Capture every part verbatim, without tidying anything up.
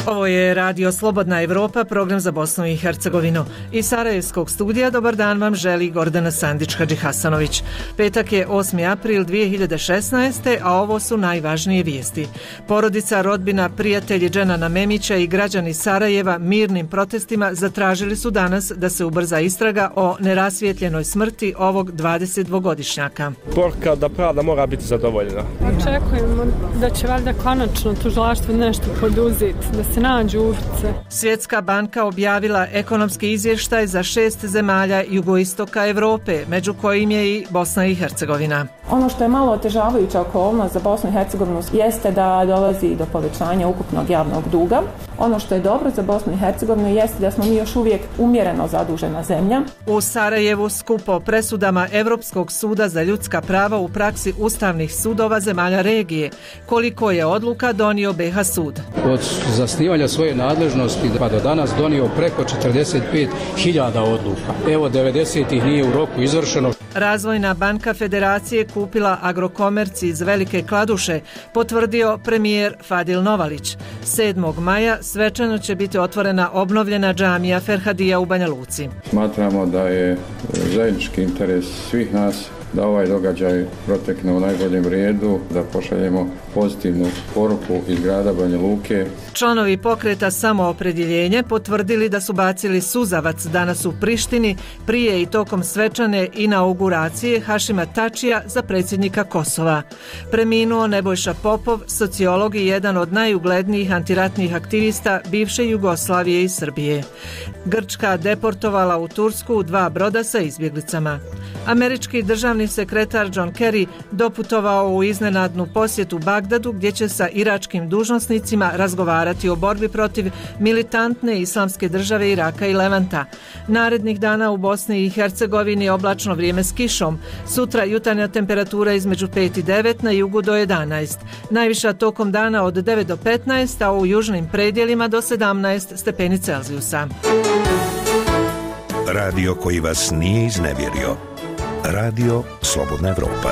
Ovo je Radio Slobodna Evropa, program za Bosnu i Hercegovinu. Iz Sarajevskog studija dobar dan vam želi Gordana Sandić-Hadžihasanović. Petak je osmi april dvije hiljade šesnaeste. a ovo su najvažnije vijesti. Porodica, rodbina, prijatelji Dženana Memića i građani Sarajeva mirnim protestima zatražili su danas da se ubrza istraga o nerasvijetljenoj smrti ovog dvadesetdvogodišnjaka. Poruka da pravda mora biti zadovoljena. Očekujemo da će valjda konačno tužilaštvo nešto poduzeti, da se nađu ulice. Svjetska banka objavila ekonomski izvještaj za šest zemalja jugoistoka Evrope, među kojim je i Bosna i Hercegovina. Ono što je malo otežavajuća okolnost za Bosnu i Hercegovinu jeste da dolazi do povećanja ukupnog javnog duga. Ono što je dobro za Bosnu i Hercegovinu jeste da smo mi još uvijek umjereno zadužena zemlja. U Sarajevu skup o presudama Europskog suda za ljudska prava u praksi ustavnih sudova zemalja regije. Koliko je odluka donio B H sud? Od zasnivanja svoje nadležnosti pa do danas donio preko četrdeset pet hiljada odluka. Evo devedeset ih nije u roku izvršeno. Razvojna banka Federacije kupila Agrokomerc iz Velike Kladuše, potvrdio premijer Fadil Novalić. sedmog maja svečano će biti otvorena obnovljena džamija Ferhadija u Banja Luci. Smatramo da je zajednički interes svih nas da ovaj događaj protekne u najboljem redu, da pošaljemo pozitivnu poruku iz grada Banja Luke. Članovi pokreta Samoopredjeljenje potvrdili da su bacili suzavac danas u Prištini prije i tokom svečane inauguracije Hašima Tačija za predsjednika Kosova. Preminuo Nebojša Popov, sociolog i jedan od najuglednijih antiratnih aktivista bivše Jugoslavije i Srbije. Grčka deportovala u Tursku dva broda sa izbjeglicama. Američki državni sekretar John Kerry doputovao u iznenadnu posjetu Bagdadu gdje će sa iračkim dužnosnicima razgovarati o borbi protiv militantne islamske države Iraka i Levanta. Narednih dana u Bosni i Hercegovini oblačno vrijeme s kišom. Sutra jutarnja temperatura između pet i devet, na jugu do jedanaest. Najviša tokom dana od devet do petnaest, a u južnim predjelima do sedamnaest stepeni Celzijusa. Radio koji vas nije iznevjerio. Radio Slobodna Evropa.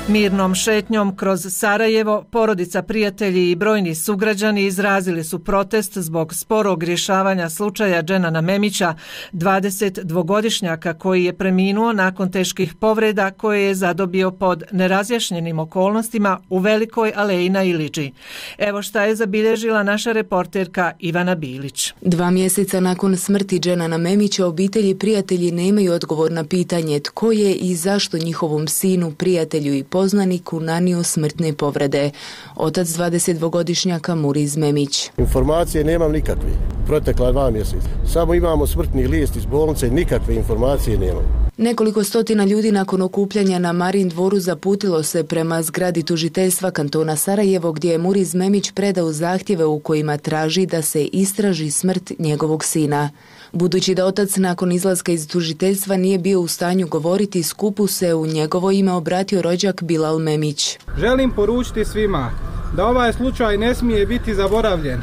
Mirnom šetnjom kroz Sarajevo, porodica, prijatelji i brojni sugrađani izrazili su protest zbog sporog rješavanja slučaja Dženana Memića, dvadesetdvogodišnjaka koji je preminuo nakon teških povreda koje je zadobio pod nerazjašnjenim okolnostima u Velikoj aleji na Iliđi. Evo šta je zabilježila naša reporterka Ivana Bilić. Dva mjeseca nakon smrti Dženana Memića obitelji i prijatelji nemaju odgovor na pitanje tko je i zašto njihovom sinu, prijatelju i poznaniku nanio smrtne povrede. Otac dvadesetdvogodišnjaka Muriz Memić. Informacije nemam nikakve. Protekla dva mjeseca. Samo imamo smrtni list iz bolnice, nikakve informacije nemam. Nekoliko stotina ljudi nakon okupljanja na Marin dvoru zaputilo se prema zgradi tužiteljstva kantona Sarajevo gdje je Muriz Memić predao zahtjeve u kojima traži da se istraži smrt njegovog sina. Budući da otac nakon izlaska iz tužiteljstva nije bio u stanju govoriti, skupu se u njegovo ime obratio rođak Bilal Memić. Želim poručiti svima da ovaj slučaj ne smije biti zaboravljen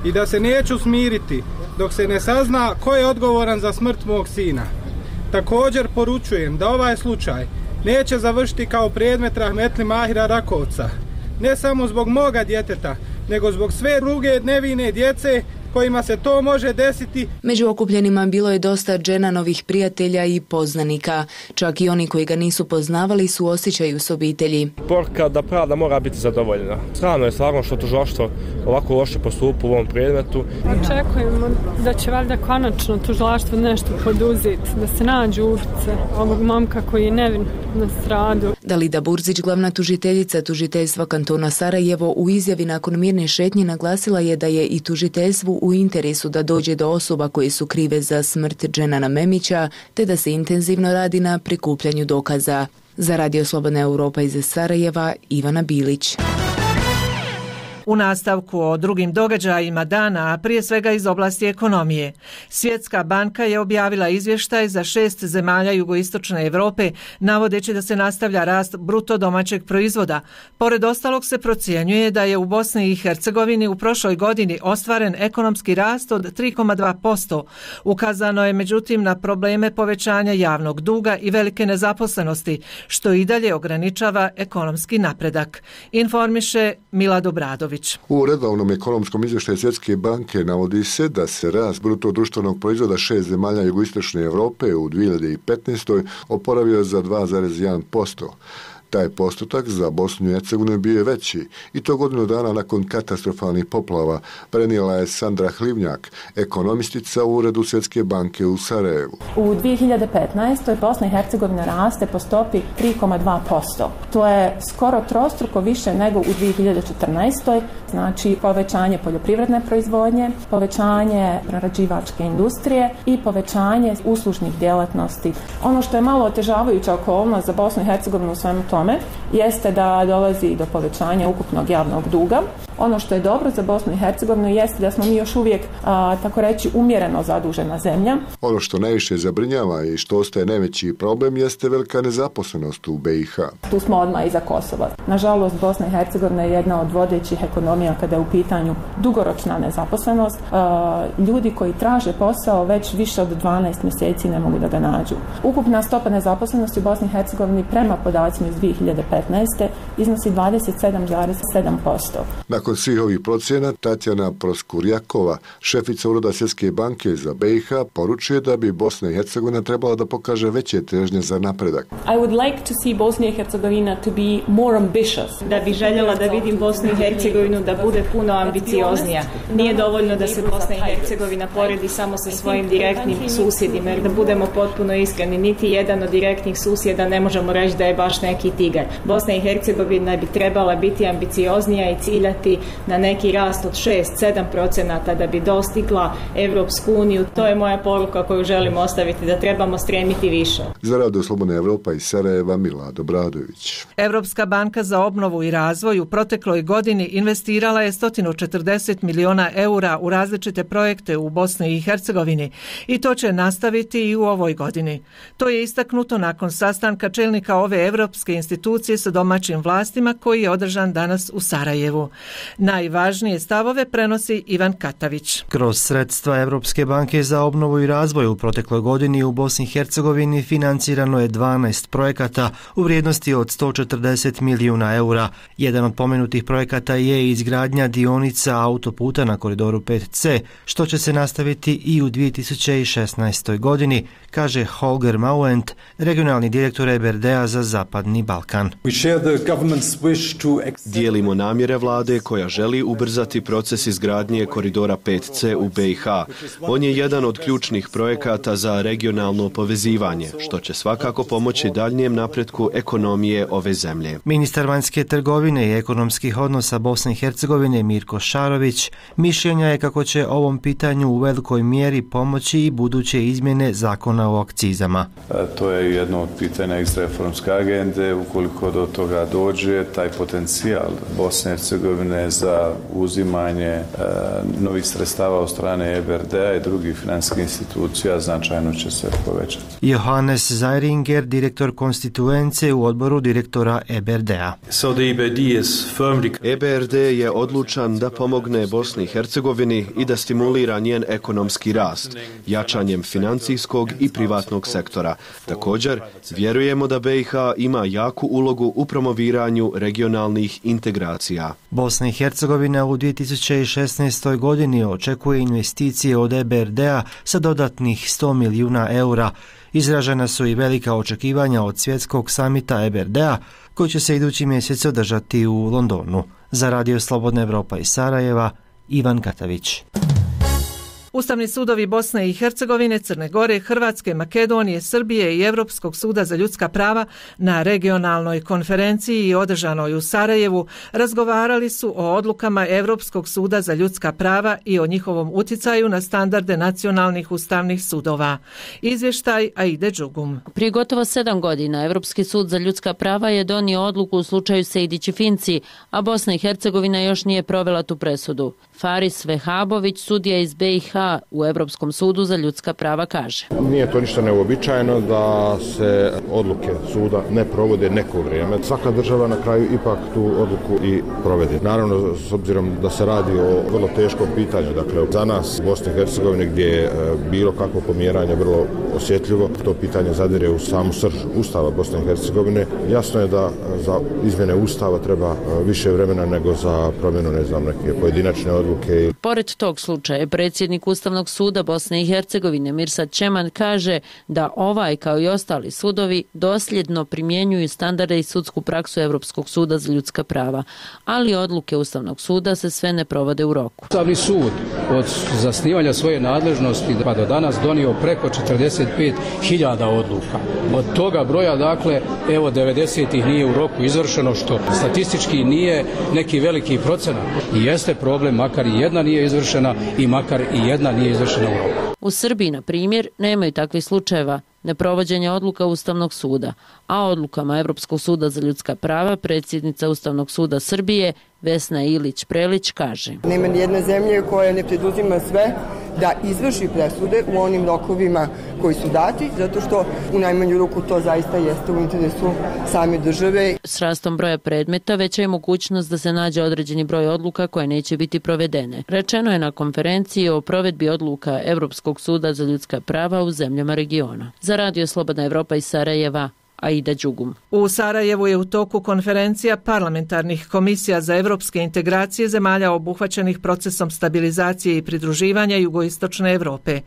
i da se neću smiriti dok se ne sazna ko je odgovoran za smrt mog sina. Također poručujem da ovaj slučaj neće završiti kao predmet rahmetli Mahira Rakovca, ne samo zbog moga djeteta, nego zbog sve druge nevine djece kojima se to može desiti. Među okupljenima bilo je dosta Dženanovih prijatelja i poznanika. Čak i oni koji ga nisu poznavali su osjećaju s obitelji. Poruka da pravda mora biti zadovoljena. Strano je stvarno što tužilaštvo ovako loše postupa u ovom predmetu. Očekujemo da će valjda konačno tužilaštvo nešto poduzeti, da se nađu ulice ovog momka koji je nevin na stradu. Dalida Burzić, glavna tužiteljica tužiteljstva kantona Sarajevo, u izjavi nakon mirne šetnje naglasila je da je i tužiteljstvu u interesu da dođe do osoba koje su krive za smrt Dženana Memića, te da se intenzivno radi na prikupljanju dokaza. Za Radio Slobodna Europa iz Sarajeva, Ivana Bilić. U nastavku o drugim događajima dana, a prije svega iz oblasti ekonomije. Svjetska banka je objavila izvještaj za šest zemalja jugoistočne Europe, navodeći da se nastavlja rast bruto domaćeg proizvoda. Pored ostalog se procjenjuje da je u Bosni i Hercegovini u prošloj godini ostvaren ekonomski rast od tri zarez dva posto. Ukazano je međutim na probleme povećanja javnog duga i velike nezaposlenosti, što i dalje ograničava ekonomski napredak. Informiše Mila Dobradović. U redovnom ekonomskom izvještaju Svjetske banke navodi se da se rast bruto društvenog proizvoda šest zemalja jugoistočne Europe u dvije hiljade petnaestoj. oporavio za dva zarez jedan posto. Taj postotak za Bosnu i Hercegovinu bio je veći i to godinu dana nakon katastrofalnih poplava, prenijela je Sandra Hlivnjak, ekonomistica u Uredu Svjetske banke u Sarajevu. U dvije hiljade petnaestoj. Bosna i Hercegovina raste po stopi tri zarez dva posto. To je skoro trostruko više nego u dvije hiljade četrnaestoj. Znači povećanje poljoprivredne proizvodnje, povećanje prerađivačke industrije i povećanje uslužnih djelatnosti. Ono što je malo otežavajuća okolnost za Bosnu i Hercegovinu u svemu tome jeste da dolazi do povećanja ukupnog javnog duga. Ono što je dobro za Bosnu i Hercegovinu jeste da smo mi još uvijek, a, tako reći, umjereno zadužena zemlja. Ono što najviše zabrinjava i što ostaje najveći problem jeste velika nezaposlenost u B i H. Tu smo odmah iza Kosova. Nažalost, Bosna i Hercegovina je jedna od vodećih ekonomija kada je u pitanju dugoročna nezaposlenost. A, ljudi koji traže posao već više od dvanaest mjeseci ne mogu da ga nađu. Ukupna stopa nezaposlenosti u Bosni i Hercegovini prema podacima iz dvije hiljade petnaeste. iznosi dvadeset sedam zarez sedam posto. Nakon svih ovih procjena, Tatjana Proskurjakova, šefica Ureda Svjetske banke za B i H, poručuje da bi Bosna i Hercegovina trebala da pokaže veće težnje za napredak. I would like to see Bosnia i Hercegovina to be more ambitious. Da bi željela da vidim Bosnu i Hercegovinu da bude puno ambicioznija. Nije dovoljno da se Bosna i Hercegovina poredi samo sa svojim direktnim susjedima, jer da budemo potpuno iskreni, niti jedan od direktnih susjeda ne možemo reći da je baš neki tigar. Bosna i Hercegovina bi trebala biti ambicioznija i ciljati na neki rast od šest do sedam procenata da bi dostigla Evropsku uniju. To je moja poruka koju želim ostaviti, da trebamo stremiti više. Za Radio Slobodna Evropa iz Sarajeva, Mila Dobradović. Evropska banka za obnovu i razvoj u protekloj godini investirala je sto četrdeset miliona eura u različite projekte u Bosni i Hercegovini i to će nastaviti i u ovoj godini. To je istaknuto nakon sastanka čelnika ove evropske institucije sa domaćim vlastima koji je održan danas u Sarajevu. Najvažnije stavove prenosi Ivan Katavić. Kroz sredstva Evropske banke za obnovu i razvoj u protekloj godini u Bosni i Hercegovini financirano je dvanaest projekata u vrijednosti od sto četrdeset milijuna eura. Jedan od pomenutih projekata je izgradnja dionica autoputa na koridoru pet ce, što će se nastaviti i u dvije tisuće šesnaestoj. godini, kaže Holger Mauent, regionalni direktor E B R D-a za Zapadni Balkan. Dijelimo namjere vlade koja želi ubrzati proces izgradnje koridora pet ce u B i H. On je jedan od ključnih projekata za regionalno povezivanje, što će svakako pomoći daljnjem napretku ekonomije ove zemlje. Ministar vanjske trgovine i ekonomskih odnosa Bosne i Hercegovine Mirko Šarović mišljenja je kako će ovom pitanju u velikoj mjeri pomoći i buduće izmjene zakona o akcizama. To je jedno od pitanja iz reformske agende. Ukoliko do toga dođe, taj potencijal Bosne i Hercegovine za uzimanje e, novih sredstava od strane E B R D-a i drugih financijskih institucija značajno će se povećati. Johannes Zeiringer, direktor konstituence u odboru direktora E B R D-a. So E B R D je odlučan da pomogne Bosni i Hercegovini i da stimulira njen ekonomski rast, jačanjem financijskog i privatnog sektora. Također, vjerujemo da B i H ima jaku ulogu u promoviranju regionalnih integracija. Bosna i Hercegovina u dvije tisuće šesnaestoj. godini očekuje investicije od E B R D-a sa dodatnih sto milijuna eura. Izražena su i velika očekivanja od svjetskog samita E B R D-a koji će se idući mjesec održati u Londonu. Za Radio Slobodna Evropa iz Sarajeva, Ivan Katavić. U Ustavni sudovi Bosne i Hercegovine, Crne Gore, Hrvatske, Makedonije, Srbije i Europskog suda za ljudska prava na regionalnoj konferenciji održanoj u Sarajevu razgovarali su o odlukama Europskog suda za ljudska prava i o njihovom utjecaju na standarde nacionalnih ustavnih sudova. Izvještaj Aide Đugum. Prije gotovo sedam godina Europski sud za ljudska prava je donio odluku u slučaju Sejdić i Finci, a Bosna i Hercegovina još nije provela tu presudu. Faris Vehabović, sudija iz B i H u Europskom sudu za ljudska prava, kaže: Nije to ništa neuobičajeno da se odluke suda ne provode neko vrijeme. Svaka država na kraju ipak tu odluku i provede. Naravno, s obzirom da se radi o vrlo teškom pitanju, dakle za nas u Bosni i Hercegovini gdje je bilo kakvo pomjeranje vrlo osjetljivo, to pitanje zadire u samu srž Ustava Bosne i Hercegovine. Jasno je da za izmjene Ustava treba više vremena nego za promjenu, ne znam, neke pojedinačne odluke. Pored tog slučaja, predsjednik Ustavnog suda Bosne i Hercegovine Mirsad Čeman kaže da ovaj kao i ostali sudovi dosljedno primjenjuju standarde i sudsku praksu Europskog suda za ljudska prava, ali odluke Ustavnog suda se sve ne provode u roku. Ustavni sud od zasnivanja svoje nadležnosti pa do danas donio preko četrdeset pet hiljada odluka. Od toga broja, dakle, evo devedeset ih nije u roku izvršeno, što statistički nije neki veliki procenat. I jeste problem, makar i jedna nije izvršena i makar i jedna nije izvršena u roku. U Srbiji, na primjer, nemaju takvih slučajeva neprovođenja odluka Ustavnog suda, a odlukama Europskog suda za ljudska prava predsjednica Ustavnog suda Srbije Vesna Ilić-Prelić kaže: Nema nijedne zemlje koja ne preduzima sve da izvrši presude u onim rokovima koji su dati, zato što u najmanju ruku to zaista jeste u interesu same države. S rastom broja predmeta veća je mogućnost da se nađe određeni broj odluka koje neće biti provedene. Rečeno je na konferenciji o provedbi odluka Europskog suda za ljudska prava u zemljama regiona. Za Radio Slobodna Evropa iz Sarajeva, Aida Đugum. U Sarajevu je u toku konferencija parlamentarnih komisija za evropske integracije zemalja obuhvaćenih procesom stabilizacije i pridruživanja jugoistočne Evrope.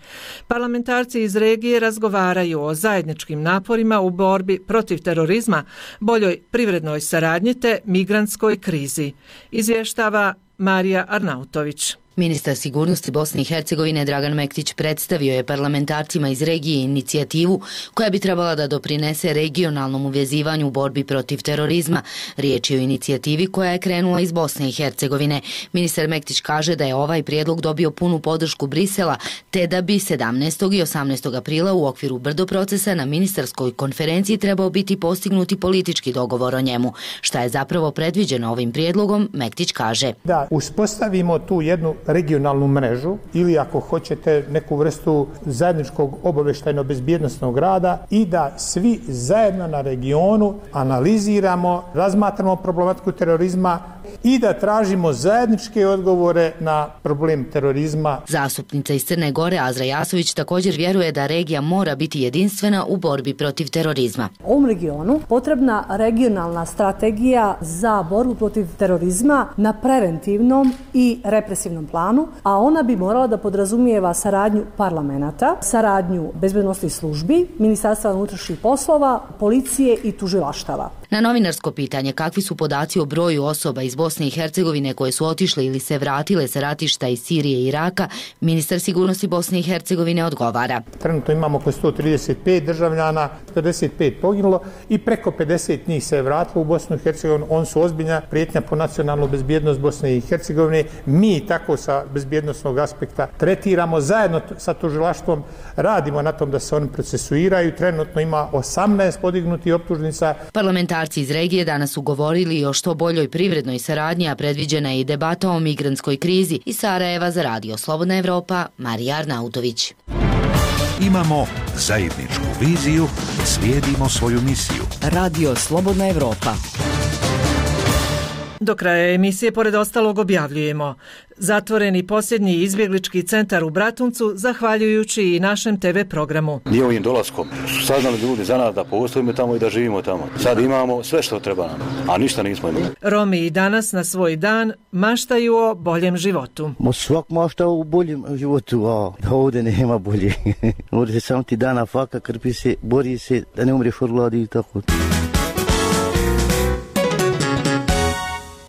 Parlamentarci iz regije razgovaraju o zajedničkim naporima u borbi protiv terorizma, boljoj privrednoj saradnji te migrantskoj krizi. Izvještava Marija Arnautović. Ministar sigurnosti Bosne i Hercegovine Dragan Mektić predstavio je parlamentarcima iz regije inicijativu koja bi trebala da doprinese regionalnom uvezivanju u borbi protiv terorizma. Riječ je o inicijativi koja je krenula iz Bosne i Hercegovine. Ministar Mektić kaže da je ovaj prijedlog dobio punu podršku Brisela, te da bi sedamnaestog i osamnaestog aprila u okviru Brdo procesa na ministarskoj konferenciji trebao biti postignuti politički dogovor o njemu. Šta je zapravo predviđeno ovim prijedlogom, Mektić kaže: Da uspostavimo tu jednu regionalnu mrežu ili ako hoćete neku vrstu zajedničkog obavještajno-bezbjednosnog rada i da svi zajedno na regionu analiziramo, razmatramo problematiku terorizma i da tražimo zajedničke odgovore na problem terorizma. Zastupnica iz Crne Gore Azra Jasović također vjeruje da regija mora biti jedinstvena u borbi protiv terorizma. U ovom regionu potrebna regionalna strategija za borbu protiv terorizma na preventivnom i represivnom planu, a ona bi morala da podrazumijeva saradnju parlamenta, saradnju bezbednosnih službi, Ministarstva unutrašnjih poslova, policije i tužilaštava. Na novinarsko pitanje kakvi su podaci o broju osoba iz Bosne i Hercegovine koje su otišle ili se vratile sa ratišta iz Sirije i Iraka, ministar sigurnosti Bosne i Hercegovine odgovara: Trenutno imamo oko sto trideset pet državljana, pedeset pet poginulo i preko pedeset njih se je vratilo u Bosnu i Hercegovinu. On su ozbiljna prijetnja po nacionalnu bezbjednost Bosne i Hercegovine. Mi tako sa bezbjednosnog aspekta tretiramo, zajedno sa tužilaštvom radimo na tom da se oni procesuiraju. Trenutno ima osamnaest podignutih optužnica. Parlamentarci iz regije danas su govorili o što boljoj privrednoj saradnji, a predviđena je i debata o migrantskoj krizi. Iz Sarajeva za Radio Slobodna Evropa, Marija Arnautović. Imamo zajedničku viziju, slijedimo svoju misiju. Radio Slobodna Evropa. Do kraja emisije pored ostalog objavljujemo: zatvoreni posljednji izbjeglički centar u Bratuncu zahvaljujući i našem te ve programu. Nije ovim dolaskom su saznali ljudi za nas da postojimo tamo i da živimo tamo. Sad imamo sve što treba nam, a ništa nismo imali. Romi i danas na svoj dan maštaju o boljem životu. Mo svak mašta o boljem životu, a ovdje nema bolje. Ovdje se samo ti dana faka, krpi se, bori se da ne umreš od gladi i tako.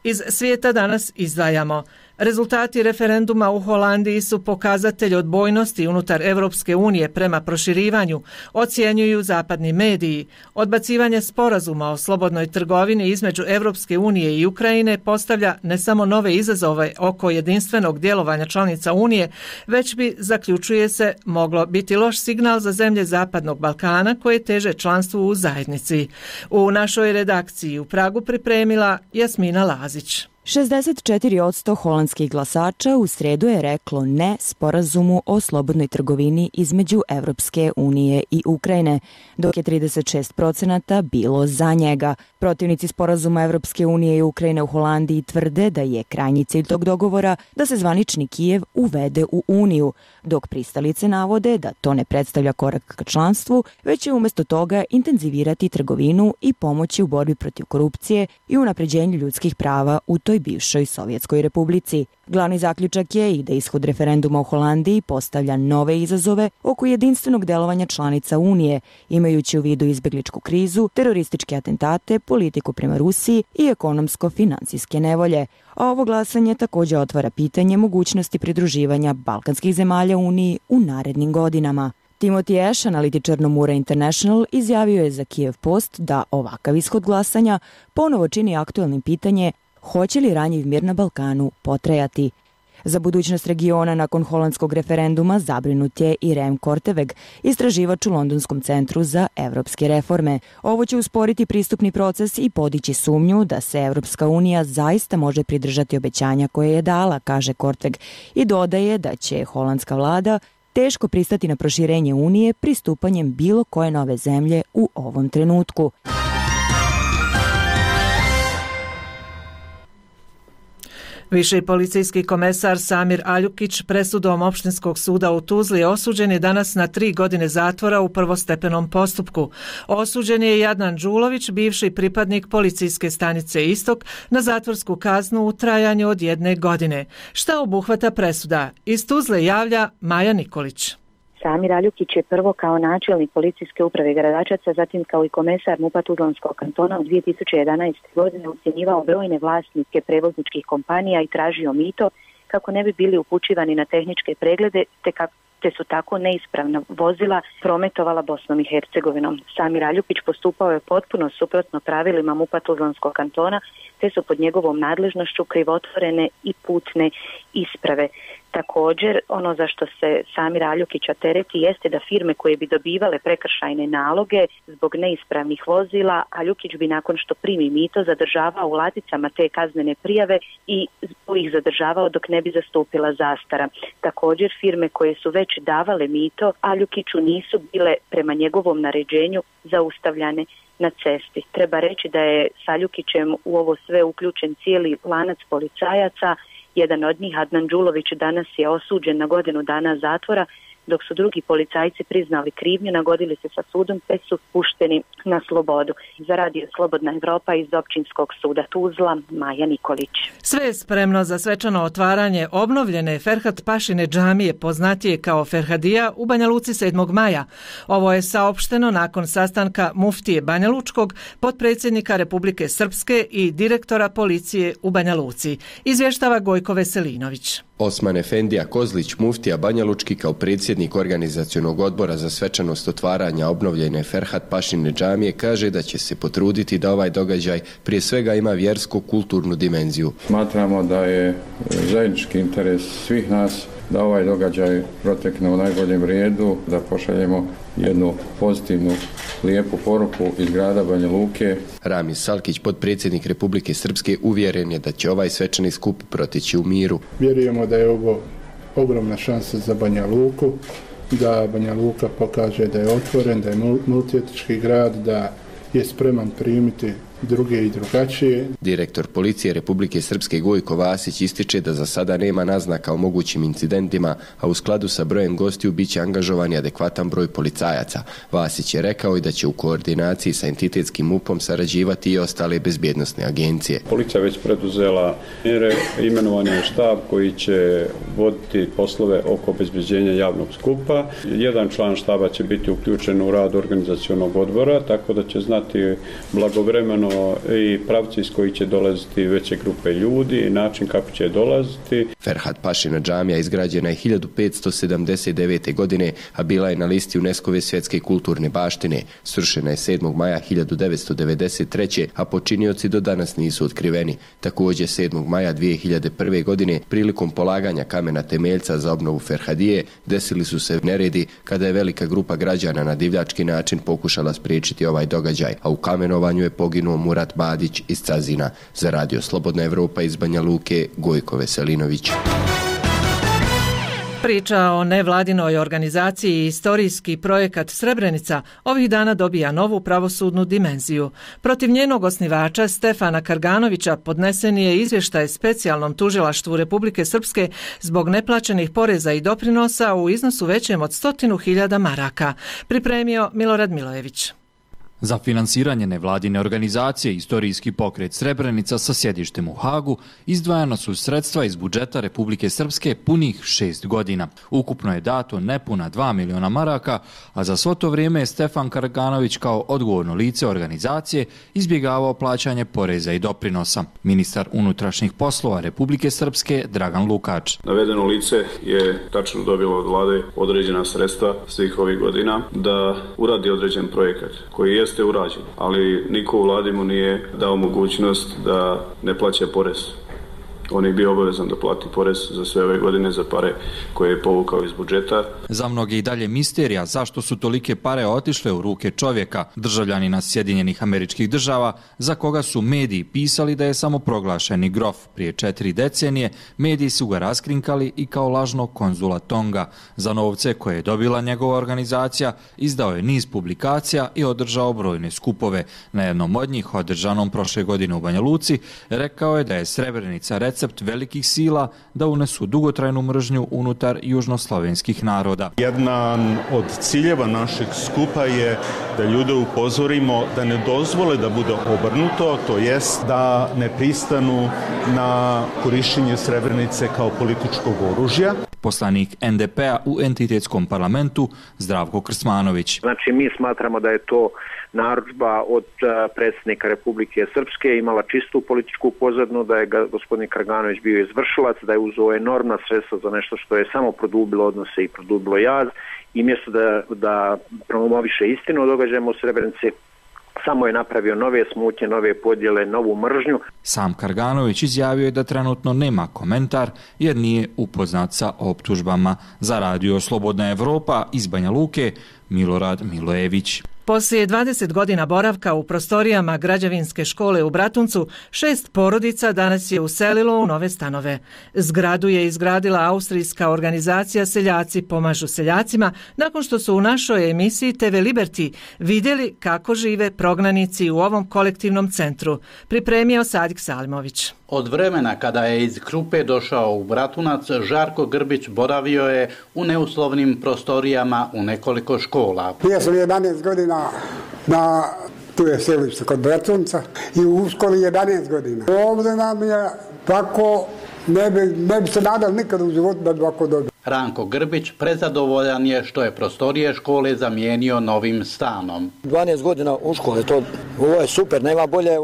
Iz svijeta danas izdvajamo: Rezultati referenduma u Holandiji su pokazatelj odbojnosti unutar Europske unije prema proširivanju, ocjenjuju zapadni mediji. Odbacivanje sporazuma o slobodnoj trgovini između Europske unije i Ukrajine postavlja ne samo nove izazove oko jedinstvenog djelovanja članica Unije, već bi, zaključuje se, moglo biti loš signal za zemlje Zapadnog Balkana koje teže članstvu u zajednici. U našoj redakciji u Pragu pripremila Jasmina Lazić. šezdeset četiri posto holandskih glasača u sredu je reklo ne sporazumu o slobodnoj trgovini između Evropske unije i Ukrajine, dok je trideset šest procenata bilo za njega. Protivnici sporazuma Evropske unije i Ukrajine u Holandiji tvrde da je krajnji cilj tog dogovora da se zvanični Kijev uvede u Uniju, dok pristalice navode da to ne predstavlja korak ka članstvu, već će umjesto toga intenzivirati trgovinu i pomoći u borbi protiv korupcije i unapređenju ljudskih prava u toj bivšoj Sovjetskoj republici. Glavni zaključak je i da ishod referenduma u Holandiji postavlja nove izazove oko jedinstvenog delovanja članica Unije, imajući u vidu izbjegličku krizu, terorističke atentate, politiku prema Rusiji i ekonomsko-financijske nevolje. A ovo glasanje također otvara pitanje mogućnosti pridruživanja balkanskih zemalja Uniji u narednim godinama. Timothy Ash, analitičar Nomura International, izjavio je za Kiev Post da ovakav ishod glasanja ponovo čini aktuelnim pitanje hoće li ranjiv mir na Balkanu potrajati. Za budućnost regiona nakon holandskog referenduma zabrinut je i Rem Korteweg, istraživač u Londonskom centru za evropske reforme. Ovo će usporiti pristupni proces i podići sumnju da se Evropska unija zaista može pridržati obećanja koje je dala, kaže Korteweg, i dodaje da će holandska vlada teško pristati na proširenje Unije pristupanjem bilo koje nove zemlje u ovom trenutku. Viši policijski komesar Samir Aljukić presudom Opštinskog suda u Tuzli osuđen je danas na tri godine zatvora u prvostepenom postupku. Osuđen je i Adnan Đulović, bivši pripadnik policijske stanice Istok, na zatvorsku kaznu u trajanju od jedne godine. Šta obuhvata presuda? Iz Tuzle javlja Maja Nikolić. Samir Aljukić je prvo kao načelnik policijske uprave Gradačaca, zatim kao i komesar MUP-a Tuzlanskog kantona u dvije tisuće jedanaeste. godine ucjenjivao brojne vlasnike prevozničkih kompanija i tražio mito kako ne bi bili upućivani na tehničke preglede te kako te su tako neispravna vozila prometovala Bosnom i Hercegovinom. Samir Aljukić postupao je potpuno suprotno pravilima MUP-a Tuzlanskog kantona, te su pod njegovom nadležnošću krivotvorene i putne isprave. Također, ono za što se Samir Aljukića tereti jeste da firme koje bi dobivale prekršajne naloge zbog neispravnih vozila, Aljukić bi nakon što primi mito zadržavao u ladicama te kaznene prijave i ih zadržavao dok ne bi zastupila zastara. Također, firme koje su već davale mito Aljukiću nisu bile prema njegovom naređenju zaustavljane na cesti. Treba reći da je s Aljukićem u ovo sve uključen cijeli lanac policajaca. Jedan od njih, Adnan Đulović, danas je osuđen na godinu dana zatvora, dok su drugi policajci priznali krivnju, nagodili se sa sudom te su pušteni na slobodu. Za radio Slobodna Evropa iz Općinskog suda Tuzla, Maja Nikolić. Sve je spremno za svečano otvaranje obnovljene Ferhat Pašine džamije, poznatije kao Ferhadija, u Banja Luci sedmog maja. Ovo je saopšteno nakon sastanka muftije Banja Lučkog, potpredsjednika Republike Srpske i direktora policije u Banja Luci. Izvještava Gojko Veselinović. Osman Efendija Kozlić, muftija Banja Lučki, kao predsjednik organizacionog odbora za svečanost otvaranja obnovljene Ferhat Pašine džamije, kaže da će se potruditi da ovaj događaj prije svega ima vjersko-kulturnu dimenziju. Smatramo da je zajednički interes svih nas da ovaj događaj protekne u najboljem redu, da pošaljemo jednu pozitivnu, lijepu poruku iz grada Banja Luke. Ramiz Salkić, potpredsjednik Republike Srpske, uvjeren je da će ovaj svečani skup proteći u miru. Vjerujemo da je ovo ogromna šansa za Banja Luku, da Banja Luka pokaže da je otvoren, da je multietnički grad, da je spreman primiti druge i drugačije. Direktor policije Republike Srpske Gojko Vasić ističe da za sada nema naznaka o mogućim incidentima, a u skladu sa brojem gostiju biće angažovan i adekvatan broj policajaca. Vasić je rekao i da će u koordinaciji sa entitetskim MUP-om sarađivati i ostale bezbjednosne agencije. Policija već preduzela mjere, imenovan je štab koji će voditi poslove oko obezbeđenja javnog skupa. Jedan član štaba će biti uključen u rad organizacionog odbora, tako da će znati blagovremeno naravno i pravci iz koji će dolaziti veće grupe ljudi i način kako će dolaziti. Ferhat Pašina džamija izgrađena je hiljadu petsto sedamdeset devete. godine, a bila je na listi UNESCO-ve svjetske kulturne baštine. Srušena je sedmog maja hiljadu devetsto devedeset treće. a počinioci do danas nisu otkriveni. Također sedmog maja dvije hiljade prve. godine, prilikom polaganja kamena temeljca za obnovu Ferhadije, desili su se neredi kada je velika grupa građana na divljački način pokušala spriječiti ovaj događaj, a u kamenovanju je poginuo Murat Badić iz Cazina. Za Radio Slobodna Evropa iz Banja Luke, Gojko Veselinović. Priča o nevladinoj organizaciji i istorijski projekat Srebrenica ovih dana dobija novu pravosudnu dimenziju. Protiv njenog osnivača Stefana Karganovića podnesen je izvještaj specijalnom tužilaštvu Republike Srpske zbog neplaćenih poreza i doprinosa u iznosu većem od stotinu hiljada maraka. Pripremio Milorad Milojević. Za finansiranje nevladine organizacije Istorijski pokret Srebrenica sa sjedištem u Hagu izdvajana su sredstva iz budžeta Republike Srpske punih šest godina. Ukupno je dato nepuna dva miliona maraka, a za svo to vrijeme je Stefan Karganović kao odgovorno lice organizacije izbjegavao plaćanje poreza i doprinosa. Ministar unutrašnjih poslova Republike Srpske Dragan Lukač. Navedeno lice je tačno dobilo od vlade određena sredstva svih ovih godina da uradi određen projekat koji je jeste urađen, ali niko u vladi mu nije dao mogućnost da ne plaća porez. On je bio obavezan da plati porez za sve ove godine za pare koje je povukao iz budžeta. Za mnoge i dalje misterija zašto su tolike pare otišle u ruke čovjeka, državljanina Sjedinjenih Američkih Država, za koga su mediji pisali da je samo proglašeni grof. Prije četiri decenije mediji su ga raskrinkali i kao lažnog konzula Tonga. Za novce koje je dobila njegova organizacija izdao je niz publikacija i održao brojne skupove. Na jednom od njih, održanom prošle godine u Banja Luci, rekao je da je Srebrenica recept velikih sila da unesu dugotrajnu mržnju unutar južnoslovenskih naroda. Jedan od ciljeva našeg skupa je da ljude upozorimo da ne dozvole da bude obrnuto, to jest da ne pristanu na korištenje Srebrenice kao političkog oružja. Poslanik en de pe a u entitetskom parlamentu Zdravko Krsmanović. Znači mi smatramo da je to narudžba od predsjednika Republike Srpske, imala čistu političku pozadnu, da je gospodin Karganović bio izvršilac, da je uzeo enormna sredstva za nešto što je samo produbilo odnose i produbilo jaz, i mjesto da, da promoviše istinu o događajima u Srebrenici, samo je napravio nove smutnje, nove podjele, novu mržnju. Sam Karganović izjavio je da trenutno nema komentar jer nije upoznat sa optužbama. Za Radio Slobodna Evropa iz Banja Luke, Milorad Milojević. Poslije dvadeset godina boravka u prostorijama građevinske škole u Bratuncu, šest porodica danas je uselilo u nove stanove. Zgradu je izgradila austrijska organizacija Seljaci pomažu seljacima, nakon što su u našoj emisiji te ve Liberty vidjeli kako žive prognanici u ovom kolektivnom centru. Pripremio Sadik Salimović. Od vremena kada je iz Krupe došao u Bratunac, Žarko Grbić boravio je u neuslovnim prostorijama u nekoliko škola. Ja sam jedanaest godina na tu je selište kod Bratunca i u školi jedanaest godina. Ovdje nam je tako, ne bi, ne bi se nadal nikad u životu da bi ovako dobio. Ranko Grbić prezadovoljan je što je prostorije škole zamijenio novim stanom. dvanaest godina u škole, to, ovo je super, nema bolje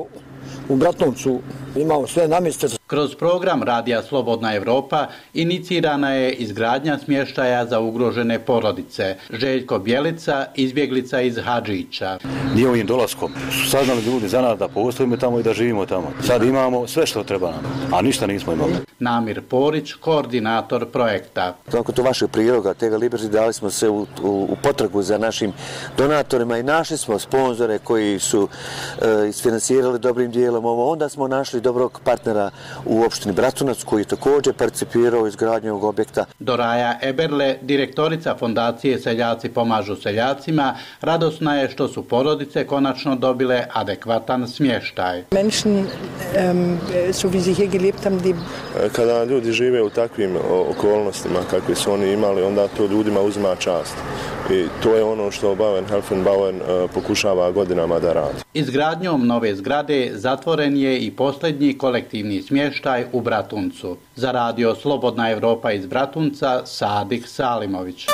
u Bratuncu. Imamo sve namjeste. Kroz program Radija Slobodna Evropa inicirana je izgradnja smještaja za ugrožene porodice. Željko Bjelica, izbjeglica iz Hadžića. Nije ovim dolaskom su saznali ljudi za nas da postojimo tamo i da živimo tamo. Sad imamo sve što treba nam, a ništa nismo imali. Namir Porić, koordinator projekta. Nakon to vašeg priloga, te ve Liberty, dali smo se u, u, u potragu za našim donatorima i našli smo sponzore koji su e, isfinansirali dobrim dijelom ovo. Onda smo našli dobrog partnera u opštini Bratunac koji je također participirao u izgradnju ovog objekta. Doraja Eberle, direktorica fondacije Seljaci pomažu seljacima, radosna je što su porodice konačno dobile adekvatan smještaj. Menschen, um, so wie sie hier gelebt haben, die... Kada ljudi žive u takvim okolnostima kakve su oni imali, onda to ljudima uzima čast. I to je ono što Bauen Helfenbauen uh, pokušava godinama da radi. Izgradnjom nove zgrade zatvoren je i posljednji kolektivni smještaj u Bratuncu. Za Radio Slobodna Evropa iz Bratunca, Sadik Salimović.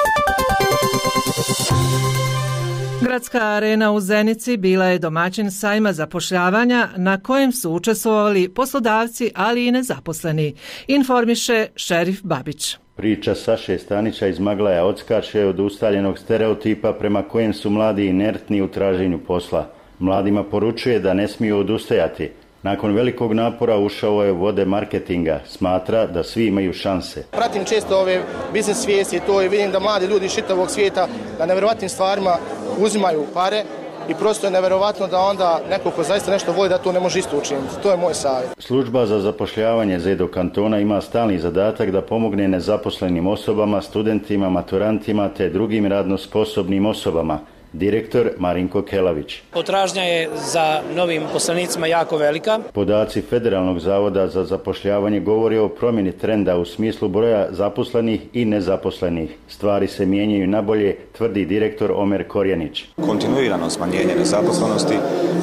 Gradska arena u Zenici bila je domaćin sajma zapošljavanja na kojem su učestvovali poslodavci, ali i nezaposleni, informiše Šerif Babić. Priča Saše Stanića iz Maglaja odskače od ustaljenog stereotipa prema kojem su mladi inertni u traženju posla. Mladima poručuje da ne smiju odustajati. Nakon velikog napora ušao je u vode marketinga. Smatra da svi imaju šanse. Pratim često ove biznes svijesti to i vidim da mladi ljudi iz čitavog svijeta na nevjerovatnim stvarima uzimaju pare i prosto je nevjerovatno da onda neko ko zaista nešto voli da to ne može isto učiniti. To je moj savjet. Služba za zapošljavanje Zedo kantona ima stalni zadatak da pomogne nezaposlenim osobama, studentima, maturantima te drugim radno sposobnim osobama. Direktor Marinko Kelavić. Potražnja je za novim poslanicima jako velika. Podaci Federalnog zavoda za zapošljavanje govore o promjeni trenda u smislu broja zaposlenih i nezaposlenih. Stvari se mijenjaju nabolje, tvrdi direktor Omer Korjanić. Kontinuirano smanjenje nezaposlenosti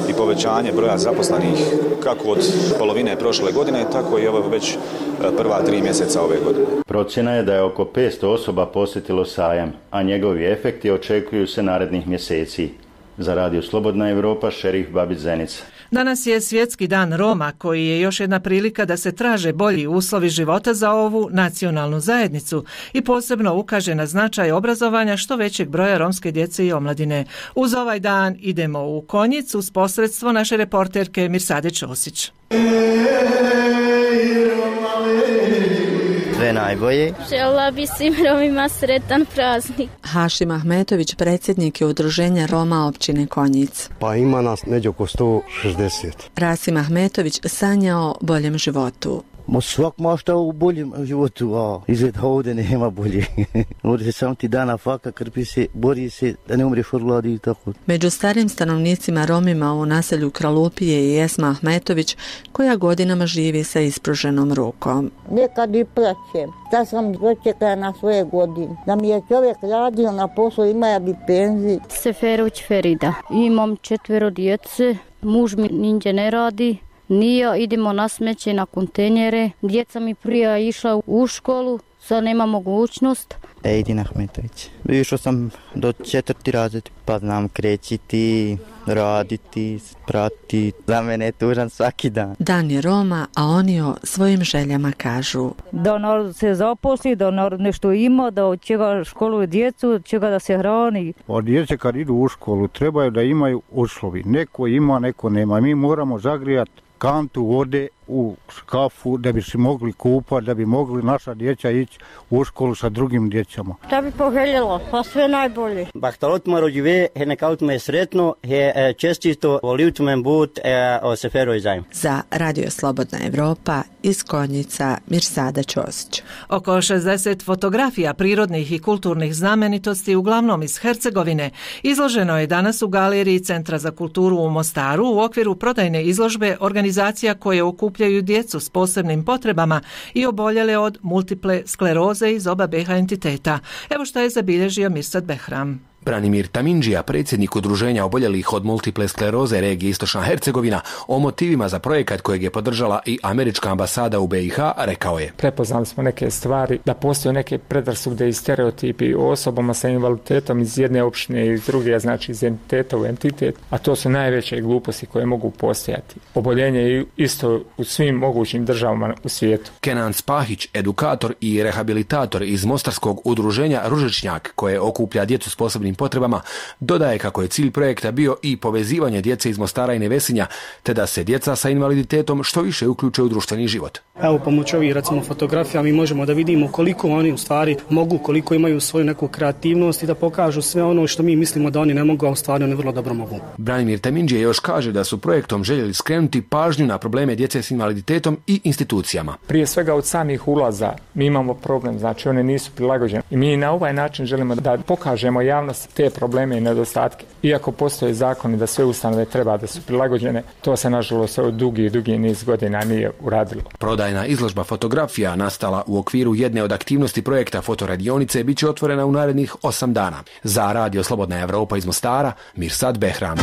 i povećanje broja zaposlenih kako od polovine prošle godine, tako i ovo već prva tri mjeseca ove godine. Procjena je da je oko petsto osoba posjetilo sajam, a njegovi efekti očekuju se narednih mjeseci. Za Radio Slobodna Evropa, Šerif Babić, Zenica. Danas je Svjetski dan Roma, koji je još jedna prilika da se traže bolji uslovi života za ovu nacionalnu zajednicu i posebno ukaže na značaj obrazovanja što većeg broja romske djece i omladine. Uz ovaj dan idemo u Konjic uz posredstvo naše reporterke Mirsade Ćosić. Sve najbolje. Željela bi svim Romima sretan praznik. Hašim Ahmetović, predsjednik je udruženja Roma općine Konjic. Pa ima nas neđe oko sto šezdeset. Rasim Ahmetović sanja o boljem životu. Ma svak mašta u boljem životu, a izgled ovdje nema bolje. Ovdje se sam ti dana faka, krpi se, bori se da ne umreš od gladi i tako. Među starim stanovnicima Romima u naselju Kralupije i Esma Ahmetović, koja godinama živi sa ispruženom rukom. Nekad i plaćem, da sam dočekala na svoje godine. Da mi je čovjek radio na poslu, ima bi penziju. Seferuć Ferida. Imam četvero djece, muž mi ninđe ne radi. Nije, idemo na smeće, na kontejnere. Djeca mi prije išla u školu, sad nema mogućnost. Ejdin Ahmetović. Išao sam do četvrti razred, pa znam krećiti, raditi, prati. Za mene je tužan svaki dan. Dan je Roma, a oni o svojim željama kažu. Da narod se zaposli, da narod nešto ima, da od čega školuje djecu, od čega da se hrani. Od djece kad idu u školu trebaju da imaju uslovi. Neko ima, neko nema. Mi moramo zagrijati kantu vode u škafu da bi se mogli kupati, da bi mogli naša djeca ići u školu sa drugim djecama. Šta bi poželjela? Pa sve najbolje. Bahtalot maro žive, he nekaut me sretno, he čestito volivt me but o seferoj zajem. Za Radio Slobodna Evropa iz Konjica, Mirsada Ćosić. Oko šezdeset fotografija prirodnih i kulturnih znamenitosti, uglavnom iz Hercegovine, izloženo je danas u galeriji Centra za kulturu u Mostaru u okviru prodajne izložbe organizacija koje okupljaju djecu s posebnim potrebama i oboljele od multiple skleroze iz oba B H entiteta. Evo što je zabilježio Mirsad Behram. Branimir Tamindžija, predsjednik udruženja oboljelih od multiple skleroze regije Istočna Hercegovina, o motivima za projekat kojeg je podržala i američka ambasada u B i H, rekao je: Prepoznali smo neke stvari, da postoje neke predrasude i stereotipi o osobama sa invaliditetom iz jedne opštine i iz druge, znači iz entiteta u entitet, a to su najveće gluposti koje mogu postojati. Oboljenje je isto u svim mogućim državama u svijetu. Kenan Spahić, edukator i rehabilitator iz mostarskog udruženja Ružičnjak, koje okuplja djecu s posebnim potrebama, dodaje kako je cilj projekta bio i povezivanje djece iz Mostara i Nevesinja, te da se djeca sa invaliditetom što više uključe u društveni život. Evo, pomoću ovih recimo fotografija mi možemo da vidimo koliko oni u stvari mogu, koliko imaju svoju neku kreativnost i da pokažu sve ono što mi mislimo da oni ne mogu, a u stvari oni vrlo dobro mogu. Branimir Tamindžija još kaže da su projektom željeli skrenuti pažnju na probleme djece s invaliditetom i institucijama. Prije svega od samih ulaza mi imamo problem, znači one nisu prilagođene i mi na ovaj način želimo da pokažemo javnost te probleme i nedostatke. Iako postoje zakoni da sve ustanove treba da su prilagođene, to se nažalost od dugi, dugi niz godina nije uradilo. Prodajna izložba fotografija nastala u okviru jedne od aktivnosti projekta fotoradionice bit će otvorena u narednih osam dana. Za Radio Slobodna Evropa iz Mostara, Mirsad Behram.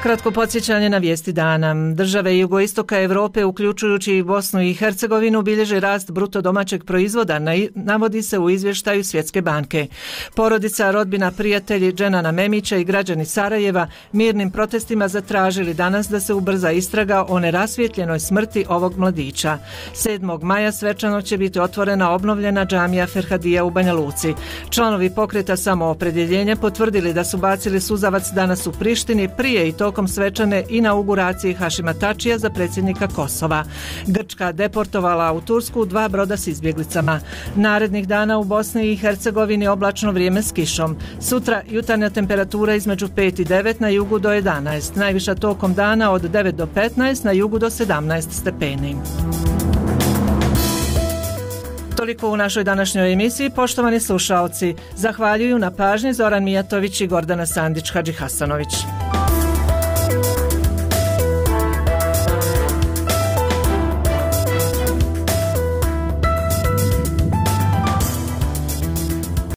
Kratko podsjećanje na vijesti dana. Države jugoistoka Europe, uključujući i Bosnu i Hercegovinu, bilježe rast bruto domaćeg proizvoda, navodi se u izvještaju Svjetske banke. Porodica, rodbina, prijatelji Dženana Memića i građani Sarajeva mirnim protestima zatražili danas da se ubrza istraga o nerasvjetljenoj smrti ovog mladića. sedmog maja svečano će biti otvorena obnovljena džamija Ferhadija u Banja Luci. Članovi pokreta Samoopredjeljenja potvrdili da su bacili suzavac danas u Prištini prije i tokom svečane inauguracije Hašima Tačija za predsjednika Kosova. Grčka deportovala u Tursku dva broda s izbjeglicama. Narednih dana u Bosni i Hercegovini oblačno vrijeme s kišom. Sutra jutarnja temperatura između pet i devet, na jugu do jedanaest. Najviša tokom dana od devet do petnaest, na jugu do sedamnaest stepeni. Toliko u našoj današnjoj emisiji. Poštovani slušaoci, zahvaljuju na pažnji Zoran Mijatović i Gordana Sandić Hadžihasanović.